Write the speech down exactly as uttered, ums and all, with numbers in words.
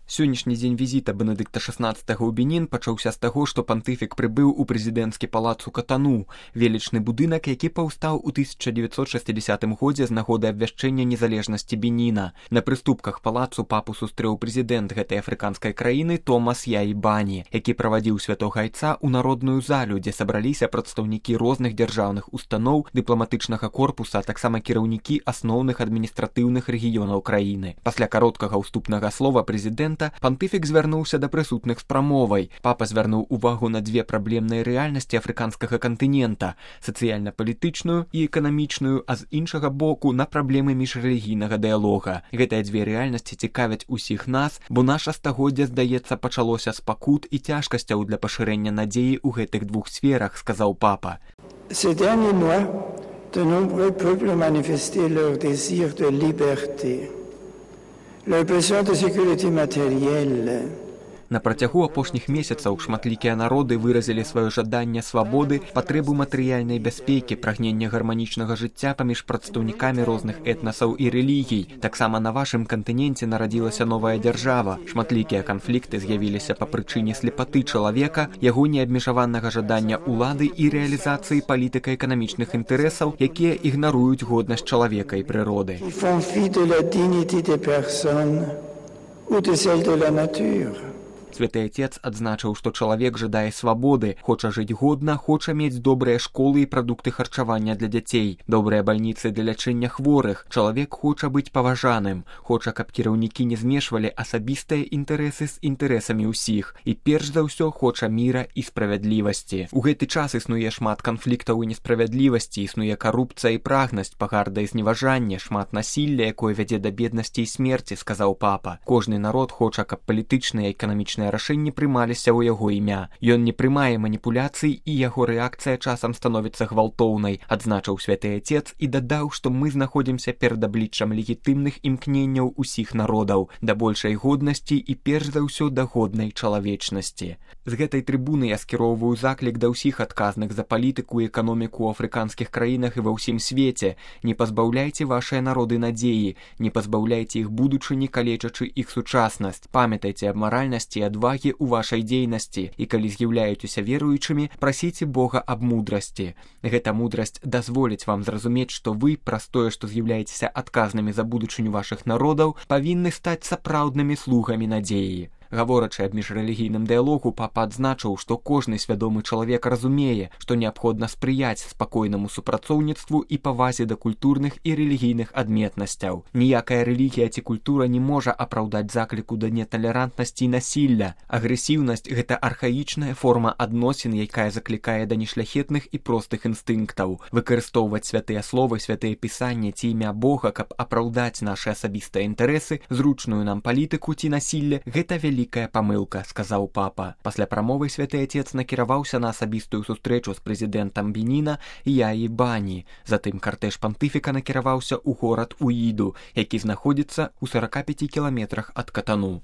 Сённяшні дзень візіта Бенедыкта шаснаццатага ў Бенін пачаўся з таго, што пантыфік прыбыў у прэзідэнцкі палац у Катану, велічны будынак, які паўстаў у тысяча дзевяцьсот шэсцідзясятым годзе з нагоды абвяшчэння незалежнасці Беніна. На прыступках палацу папу сустрэў прэзідэнт гэтай афрыканскай краіны Томас Яі Бані, які правадзіў святога айца ў народную залю, дзе сабраліся прадстаўнікі розных дзяржаўных устаноў, дыпламатычнага корпуса, а таксама кіраўнікі асноўных адміністратыўных рэгіёнаў краіны. Пасля кароткага ўступнага слова прэзідэнта пантыфік звярнуўся да прысутных з прамовай. Папа звярнуў увагу на дзве праблемныя рэальнасці афрыканскага кантынента – сацыяльна-палітычную і эканамічную, а з іншага боку на праблемы міжрэлігійнага дыялога. Гэтыя дзве рэальнасці цікавяць усіх нас, бо наша стагоддзя, здаецца, пачалося з пакут і цяжкасцяў для пашырэння надзеі ў гэтых двух сферах, сказаў папа. Ces derniers mois, de nombreux peuples ont manifesté leur désir de liberté. Le besoin de sécurité matérielle. На працягу апошніх месяцаў шматлікія народы выразілі сваё жаданне свабоды, патрэбу матэрыяльнай бяспекі, прагнення гарманічнага жыцця паміж прадстаўнікамі розных этнасаў і рэлігій. Таксама на вашым кантыненце нарадзілася новая дзяржава. Шматлікія канфлікты з'явіліся па прычыне слепаты чалавека, яго неабмежаванага жадання ўлады і рэалізацыі палітыка-эканамічных інтарэсаў, якія ігнаруюць годнасць чалавека і прыроды. Ils font fi de la dignité des personnes ou de celle de la nature. Святы Отец адзначыў, што чалавек жадае свабоды, хоча жыць годна, хоча мець добрыя школы і прадукты харчавання для дзяцей, добрыя бальніцы для лячэння хворых. Чалавек хоча быць паважаным, хоча, каб кіраўнікі не змешвалі асабістыя інтарэсы з інтарэсамі ўсіх і перш за ўсё хоча міра і справядлівасці. У гэты час існуе шмат канфліктаў і несправядлівасці, існуе карупцыя і прагнасць, пагарда і зневажанне, шмат насілля, якое вядзе да беднасці і смерці, сказаў папа. Кожны народ хоча, каб палітычныя і эканамічныя рашэнні прымаліся ў яго імя. Ён не прымае маніпуляцый і яго рэакцыя часам становіцца гвалтоўнай, адзначыў святы Отец і дадаў, што мы знаходзімся перад абліччам легітымных імкненняў усіх народаў да большай годнасці і перш за ўсё да годнай чалавечнасці. З гэтай трыбуны я скіроўваю заклік да ўсіх адказных за палітыку і эканоміку ў афрыканскіх краінах і ва ўсім свеце. Не пазбаўляйце вашыя народы надзеі, не пазбаўляйце іх будучыні, калечачы іх сучаснасць. Памятайце аб маральнасці і адвагі ў вашай дзейнасці, і калі з'яўляецеся веруючымі, прасіце Бога аб мудрасці. Гэта мудрасць дазволіць вам зразумець, што вы, праз тое, што з'яўляецеся адказнымі за будучыню вашых народаў, павінны стаць сапраўднымі слугамі надзеі. Гаворачы аб міжрэлігійным дыялогу, папа адзначыў, што кожны свядомы чалавек разумее, што неабходна спрыяць спакойнаму супрацоўніцтву і павазе да культурных і рэлігійных адметнасцяў. Ніякая рэлігія ці культура не можа апраўдаць закліку да неталерантнасці і насілля. Агрэсіўнасць – гэта архаічная форма адносін, якая заклікае да нешляхетных і простых інстынктаў. Выкарыстоўваць святыя словы, святыя пісанні ці імя Бога, каб апраўдаць нашы асабістыя інтарэсы, зручную нам палітыку ці насілля – гэта вялікая Вялікая памылка, сказаў папа. Пасля прамовы святы Отец накіраваўся на асабістую сустрэчу з прэзідэнтам Беніна Яі Бані. Затым картэж пантыфіка накіраваўся ў горад Уіду, які знаходзіцца ў сарака пяці кіламетрах ад Катану.